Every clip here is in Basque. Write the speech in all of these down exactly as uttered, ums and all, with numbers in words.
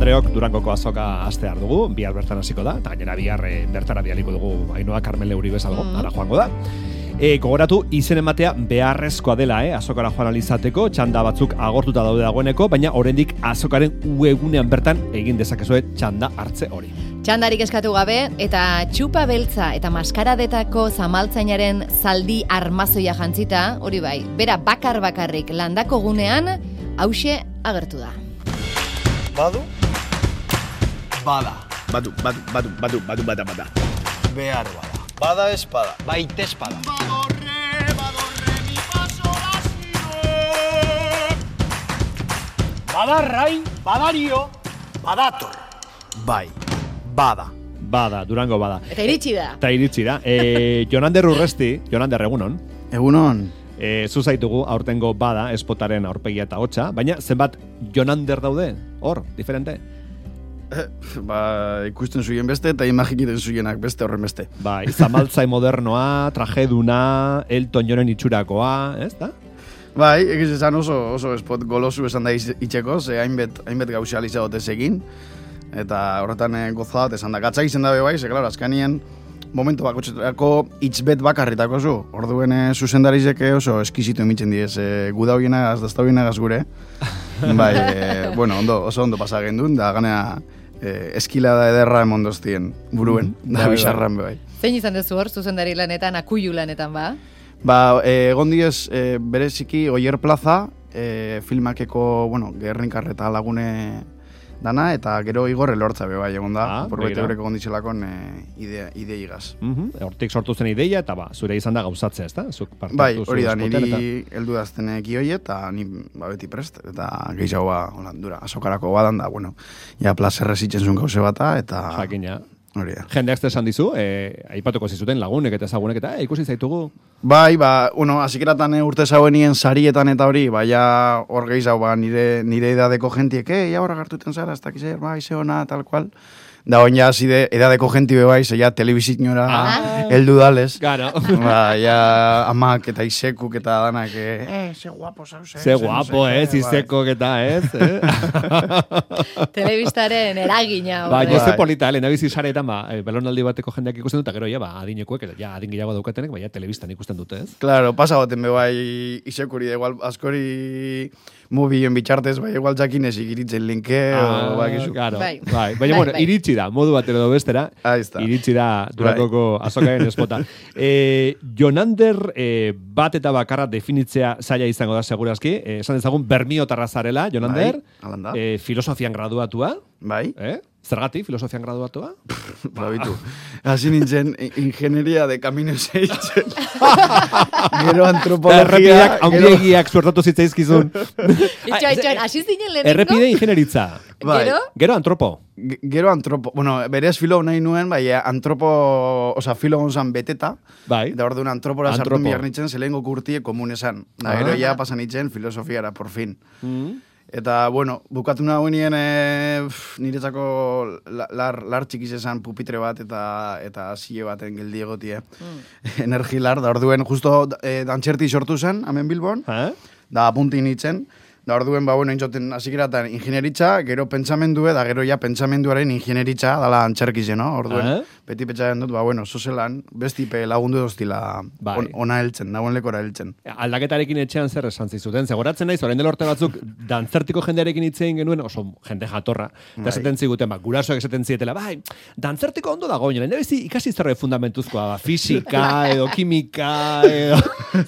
Andreok Durangoko azoka astear dugu, bihar bertan hasiko da, eta gainera bihar e, bertara bialiko dugu Ainhoa Carmele Uribe algo, mm. ara joango da. E, gogoratu, izen ematea beharrezkoa dela, eh? Azokara joan alizateko, txanda batzuk agortuta daude dagoeneko, baina oraindik azokaren webgunean bertan egin dezakezue txanda hartze hori. Txandarik eskatu gabe, eta txupa beltza eta maskaradetako zamaltzainaren zaldi armazoia jantzita, hori bai, bera bakar bakarrik landako gunean, hause agertu da. Badu? Bada. Badu, badu, badu, badu, badu, bada, bada. Behar bada. Bada espada. Baita espada. Badorre, badorre, mi paso lasio. Badarrai, badario, badator. Bai, bada. Bada, Durango bada. Eta iritsi da. Eta iritsi da. E, Jonander Urresti, Jonander egunon. Egunon. E, zuzaitugu aurtengo bada, espotaren aurpegia eta hotxa, baina zenbat Jonander daude? Hor, diferente? Ba, ikusten zuien beste eta imagikiten zuienak beste horren beste. Bai, zamaltzai modernoa, trajeduna, Elton Johnen itxurakoa, ez da? Bai, egiz esan oso, oso espot golosu esan da itxeko, ze hainbet, hainbet gauza alizagotez egin, eta horretan eh, goza bat esan da. Gatzak izen dabe bai, ze klaro, azkanien momentu bakotxetarako itzbet bakarritako zu. Orduen eh, zuzendarizek oso eskizitu emitzen diez, eh, guda hoienagaz, dazta hoienagaz gure. Bai, eh, bueno, ondo, oso ondo pasagen duen, da ganea eh, eskilada ederra emondoztien buruen, mm, da bizarran bai. Zein izan dezu hor, zuzendari lanetan, akuilu lanetan, ba? Ba, eh, egon diez, eh, bereziki Oier Plaza, eh, filmakeko, bueno, Gerrinkarreta lagune dana, eta gero Igor Elortza be bai egon da, ah, porbete horrek egon ditzelakon eh, idea, idea igaz. Mm-hmm. Hortik sortu zen ideia, eta ba, zure izan da gauzatzea, ez da? Zuk parte bai, hartu hori da, zu espoten, niri heldu dazten ekioie, eta ni ba, beti prest, eta gehiago ba, holandura, azokarako badan da, bueno, ja plazerrez itzen zuen gauze bata, eta... Jakina. Hori da. Jendeak esan dizu, eh, aipatuko zizuten lagunek eta ezagunek, eta eh, ikusi zaitugu. Bai, ba, bueno, azikeratan urte zauenien sarietan eta hori, bai, ja hor gehiago, ba, nire, nire edadeko jentiek, eh, ja horra gartuten zara, ez dakizer, bai, zeona, tal cual. Da, oin ja, zide, edadeko jenti be bai, ze ja, telebizitinora ah. heldu dales. Claro. Ba, ja, amak eta isekuk eta danak, eh, eh ze guapo, zauz, eh. Ze guapo, eh, izekok eta, ez, eh. Telebistaren eragina. Ba, hombre. jose polita, lehen abizi saretan, ba, belonaldi bateko jendeak ikusten dut, eta gero, ja, ba, adinekuek, ja, adin gehiago daukatenek, ba, ja, telebistan ikusten dute, ez? Claro, pasa baten be bai, isekuri, igual, askori mubien bitxartez, bai, igual jakinez igiritzen linke, ah, o, ba, gizu. Claro, bai. bai. Baina, bueno, bai. iritsi da, modu batero do bestera, iritsi da Durangoko azokaren espota. E, Jonander e, bat eta bakarra definitzea zaila izango da segurazki, e, esan dezagun bermiotarra zarela, Jonander, bai, e, filosofian graduatua, bai, eh? Zergatik, filosofian graduatua? Babitu. Hasi nintzen ingenieria de caminos eitzen. Gero antropologia. Errepideak haundiegiak suertatu zitzaizkizun. Itxoa, itxoa, hasi zinen lehenengo? Errepide ingenieritza. Bai. Gero? Gero antropo. G- Gero antropo, bueno, berez filo nahi nuen, bai, antropo, oza, filo gonzan beteta. Bai. Da orduan antropora sartu Antropo. miar nintzen, zelengo kurtie komunesan. Da, Ah. gero ja pasan nintzen filosofiara, por fin. Mm. Eta, bueno, bukatu nagoenien e, niretzako la- lar, lar txikiz esan pupitre bat eta eta zile baten geldi egotie. Mm. Energilar, da orduen justo e, dantxerti sortu zen, hemen Bilbon, Eh? da apunti nintzen. Da orduen, ba, bueno, intzoten hasikeratan ingenieritza, gero pentsamendue, da gero ja pentsamenduaren ingenieritza, dala antxerkize, no? Orduen, Eh? beti pentsaren dut, ba, bueno, zozelan, bestipe lagundu doztila Bai. on, ona heltzen, nagoen lekora heltzen. Aldaketarekin etxean zer esan zizuten. Zegoratzen naiz, orain dela urte batzuk, dantzertiko jendearekin hitzein genuen, oso jende jatorra. Eta Bai. esaten ziguten, ba, gurasoak esaten zietela, bai, dantzertiko ondo dago, nire bizi ikasi zerre fundamentuzkoa, ba, fisika, edo kimika, edo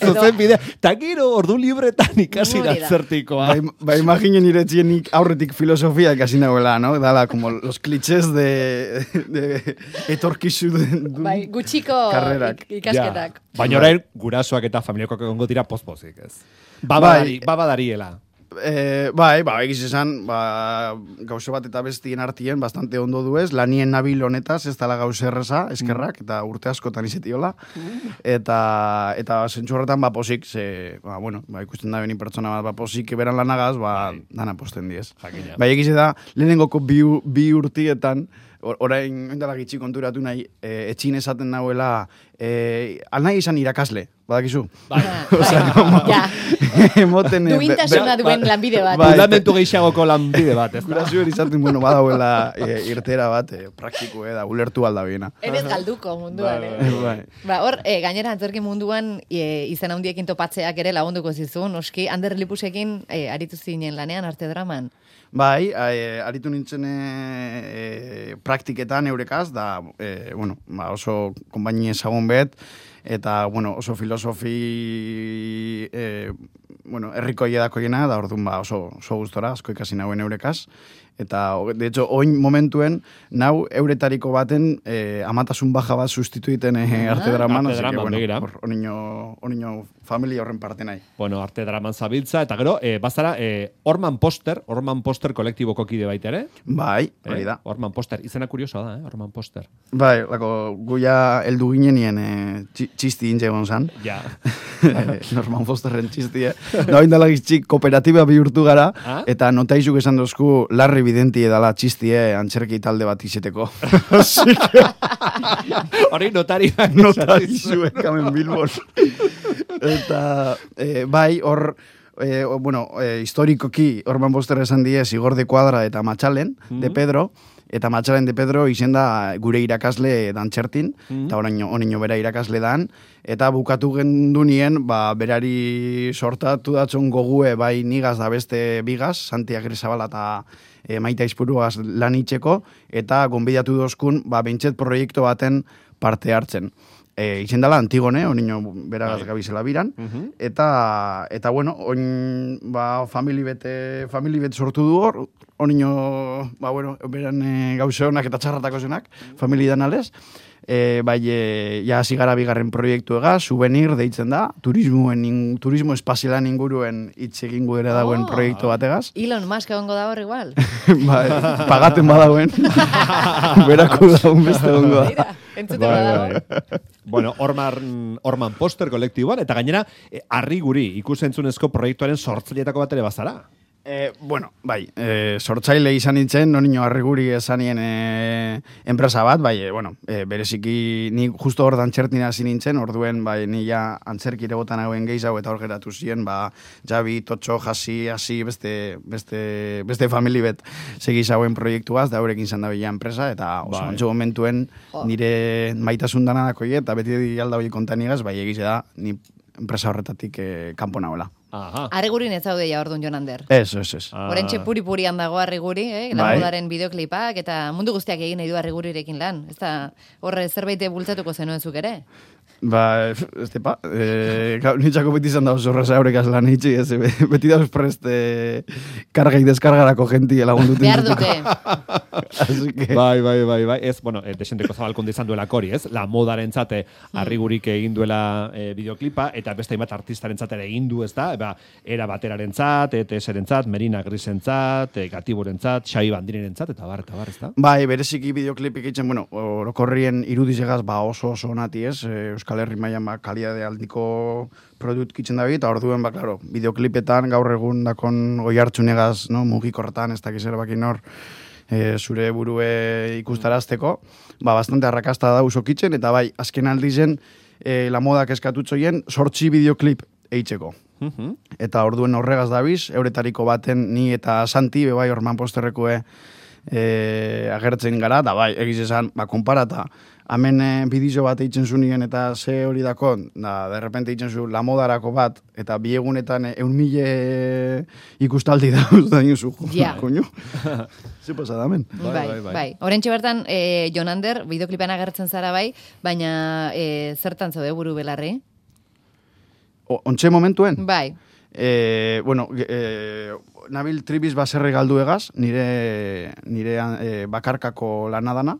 zuzen bidea. Ta gero, ordu libretan ikasi Hori da. dantzertikoa. Ba, im- ba imaginen iretzienik aurretik filosofia ikasi nagoela, no? Dala, como los clichés de, de etorkizun duen Bai, gutxiko karrerak. ik- ikasketak. Ja. Baina orain, gurasoak eta familiakoak egongo dira pospozik, ez? Bai. Babadari, babadariela. Eh, bai, ba, egiz esan, ba, gauze bat eta bestien artien bastante ondo duez, lanien nabil honetaz, ez dala gauze erreza, eskerrak, eta urte askotan izetiola, eta, eta zentzu horretan, ba, posik, ze, ba, bueno, ba, ikusten da beni pertsona bat, ba, posik beran lanagaz, ba, dana posten diez. Jakina. Bai, egiz da, lehenengoko bi, u- bi urtietan, or- orain oindala gitxi konturatu nahi, e, etxin esaten nahuela, e, alnahi izan irakasle, badakizu? Bai, ja. Emoten... eh, be- Duintasuna be- duen lanbide bat. Bai, Fundamentu gehiagoko lanbide bat, ez da? Gurasoen izaten, bueno, badauela e, irtera bat, e, praktiko, da, ulertu alda biena. Enez galduko munduan, eh? Bai. Ba, hor, e, gainera antzerki munduan e, izan handiekin topatzeak ere lagunduko zizun, noski, Ander Lipusekin e, aritu zinen lanean arte draman. Bai, e, aritu nintzen e, e, praktiketan eurekaz, da, e, bueno, ba, oso konbainia ezagun bet, eta, bueno, oso filosofi, e, bueno, erriko edakoiena, da orduan, ba, oso, oso gustora, asko ikasi nauen eurekaz. Eta, de hecho, oin momentuen, nau euretariko baten eh, amatasun baja bat sustituiten eh, arte draman. Arte draman, bueno, begira. hor- Oniño, oniño familia horren parte nahi. Bueno, arte draman zabiltza, eta gero, eh, bazara, eh, Orman Poster, Orman Poster kolektiboko kide baita ere. Bai, hori Eh? da. Orman Poster, izena kuriosoa da, eh? Orman Poster. Bai, lako, guia heldu ginenien eh, txi- txisti intxe egon zan. Ja. Eh, Norman Fosterren txistie. Da, oindala gitxik kooperatiba bihurtu gara, Ah? eta notaizuk esan dozku larri bidenti edala txistie antzerki talde bat izeteko. Hori notariak. Notarizuek hemen Bilbon. Eta, eh, bai, hor, eh, o- bueno, eh, historikoki Orman Poster esan die Zigor de Cuadra eta Matxalen, de Pedro, eta Matxalen de Pedro izen da gure irakasle dantxertin, eta oraino, oraino bera irakasle dan, eta bukatu gendunien, ba, berari sortatu datzon gogue, bai nigaz da beste bigaz, Santi Agrizabala eta e, Maita Izpuruaz lan itxeko, eta gonbidatu dozkun, ba, bentset proiektu baten parte hartzen. E, izen dela Antigone, onino beragaz Bai. gabizela biran, eta, eta bueno, oin, ba, famili bete, famili bete sortu du hor, onino, ba, bueno, beran e, gauze honak eta txarratako zenak, famili danalez, e, bai, e, ja hasi gara bigarren proiektu ega, Souvenir deitzen da, turismoen, in, turismo espazialan inguruen hitz egingo ere dagoen Oh. proiektu bategaz. Elon Musk egongo da hor igual. Bai, pagaten badauen, berako daun beste ongo da. Mira, entzute badago. Bueno, Orman, Orman Poster kolektiboan, eta gainera, eh, harri guri, ikusentzunezko proiektuaren sortzaileetako bat ere bazara. Eh, bueno, bai, eh, sortzaile izan nintzen, nonino harriguri esanien eh, enpresa bat, bai, eh, bueno, eh, bereziki ni justo hor dantxertin hasi nintzen, orduen, bai, ni ja antzerkire botan hauen gehiago eta hor geratu ziren, ba, Javi, Totxo, Hasi, hasi, beste, beste, beste famili bet segiz hauen proiektuaz, da horrekin izan da bila enpresa, eta oso Bai. antxo momentuen Jo. nire maitasun danadako eta beti alda hori kontanigaz, bai, egize da, ni enpresa horretatik eh, kanpo nagoela. Aha. Arregurin ez zaude ja orduan Jon Ander. Ez, ez, ez. Ah. Orentxe puri-purian dago Arreguri, eh? Bai. Lamodaren bideoklipak, eta mundu guztiak egin nahi du Arregurirekin lan. Ez da, horre zerbait bultzatuko zenuen zuk ere? Ba, ez tepa, e, nintzako beti izan da oso reza horrekaz lan hitzi, ez, be- beti dauz prest e, karga y deskargarako genti lagunduten. Behar dute. Así que... Bai, bai, bai, bai. Ez, bueno, eh, desenteko zabalkonde izan duela kori, ez? La modaren zate harrigurik egin duela eh, bideoklipa, eta beste hainbat artistaren ere egin du, ez da? Eba, era bateraren zat, E T S-ren zat, Merina Grisen zat, e, Gatiboren zat, Xai Bandiriren zat, eta bar, eta bar, ez da? Bai, bereziki bideoklipik itzen, bueno, orokorrien irudizegaz, ba oso oso onati ez, e, Euskal Herri mailan ba, kalidade aldiko produkt kitzen da eta orduen, ba, klaro, bideoklipetan gaur egun dakon oi hartzunegaz, no, mugikorretan, ez dakiz erabakin hor, e, zure burue ikustarazteko, ba, bastante arrakasta da usokitzen, eta bai, azken aldizen, e, la modak eskatutzoien, sortzi bideoklip eitzeko. Mhm. Eta orduen horregaz dabiz, euretariko baten ni eta Santi, bebai, Orman Posterrekoe e, agertzen gara, da bai, egiz esan, ba, konparata, hemen e, bidizio bat eitzen zunien eta ze hori dako, da, derrepente eitzen zu lamodarako bat, eta biegunetan e, eun mile ikustaldi dauz da inozu, Ja. koño. Ze pasa da, men? Bai, Bai, bai, bai. bai. Orentxe bertan, e, Jon Ander, bideoklipan agertzen zara bai, baina e, zertan zaude buru belarri? O, ontxe momentuen? Bai. E, bueno, e, nabil tribiz baserre galdu egaz, nire, nire e, bakarkako lanadana,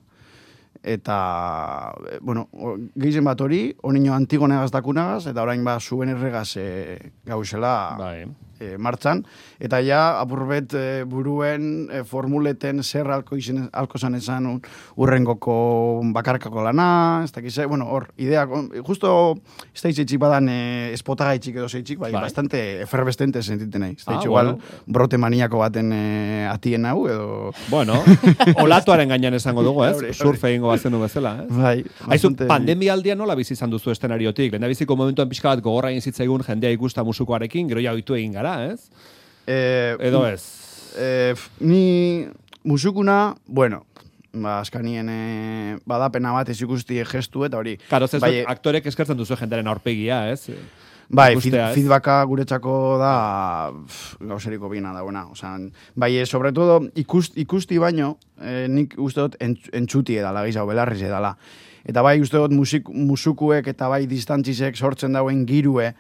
eta, e, bueno, o- gehizen bat hori, onino Antigonegaz dakunagaz, eta orain ba zuen erregaz e, gauzela Bai. e, martxan, eta ja apurbet e, buruen e, formuleten zer alko, izen, alko zan ezan un, urrengoko bakarkako lana, ez dakize, bueno, hor, ideak, justo ez da itxik badan e, espotagaitxik edo zeitxik, bai, bai, bastante efervestente sentiten nahi. Ez da Ah, igual, bueno. brote maniako baten e, atien hau, edo... Bueno, olatuaren gainean esango dugu, ez? Hori, hori. Surfe egingo bazenu bezala, ez? Bai, Aizu, bastante- pandemia aldian nola bizi izan duzu estenariotik? Lehendabiziko momentuan pixka bat gogorra egin zitzaigun jendea ikusta musukoarekin, gero ja ohitu egin gara, ez? Eh, Edo ez? Eh, ni musukuna, bueno, ba, askanien eh, badapena bat ez ikusti gestu eta hori. Karo, ez bai, aktorek eskertzen duzu jendearen aurpegia, ez? bai, feed, ikustea, ez? feedbacka guretzako da pff, gauseriko bina dagoena. Osea, bai, eh, sobre todo ikust, ikusti baino, eh, nik uste dut entz, entzuti edala, gizau, belarriz edala. Eta bai, uste dut musik, musukuek eta bai distantzisek sortzen dauen girue,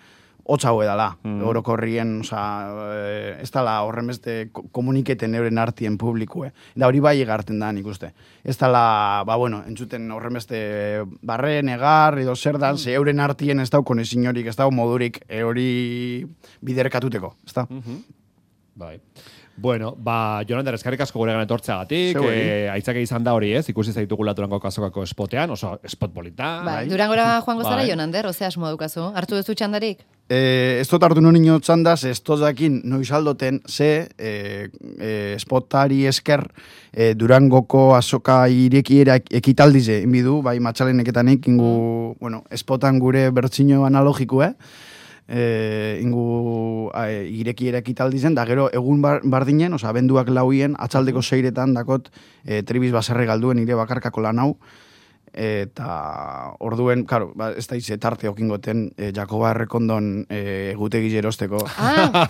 hotz hau edala, mm. orokorrien, oza, e, ez dala horren beste ko- komuniketen euren artien publikue. Da hori bai egarten da nik uste. Ez dala, ba bueno, entzuten horren beste barre, negar, edo zer dan, ze euren artien ez dau konezin horik, ez dau modurik e, hori biderkatuteko, ez da? Bai. Bueno, ba, Jonander, eskarrik asko guregan etortzeagatik, Zeu, eh, aitzake izan da hori, ez? Ikusi zaitugula Durangoko azokako spotean, oso spot polita. Bai, Durangora joango zara, Bai. Jonander, ozea asmo daukazu. Hartu duzu txandarik? Eh, ez dut hartu nonino txandaz, ez dut dakin noiz aldoten, ze eh, eh, spotari esker eh, Durangoko azoka irekiera ekitaldize inbidu, bai matxaleneketanik ingu, bueno, spotan gure bertsino analogikue, eh, ingu eh, irekiera ekitaldizen, da gero egun bar, bardinen, oza, abenduak lauien, atxaldeko seiretan dakot eh, tribiz baserre galduen ire bakarkako lan hau, eta orduen, claro, ba, ez da ize tarte okingoten e, Jakoba Errekondon e, egutegi jerosteko. Ah,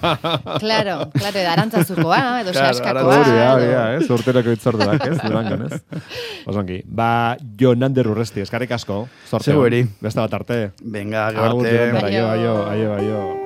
claro, claro, edo arantzazukoa, edo Claro, saskakoa. Hori da, hori edo- da, ez? Urteroko itzorduak, ez? Durangon, ez? Osongi. Ba, Jonander Urresti, eskarrik asko. Zorte. Zeu eri. Beste bat arte. Venga, Agur, gero arte. Jonander, aio, Aio. aio, aio, aio.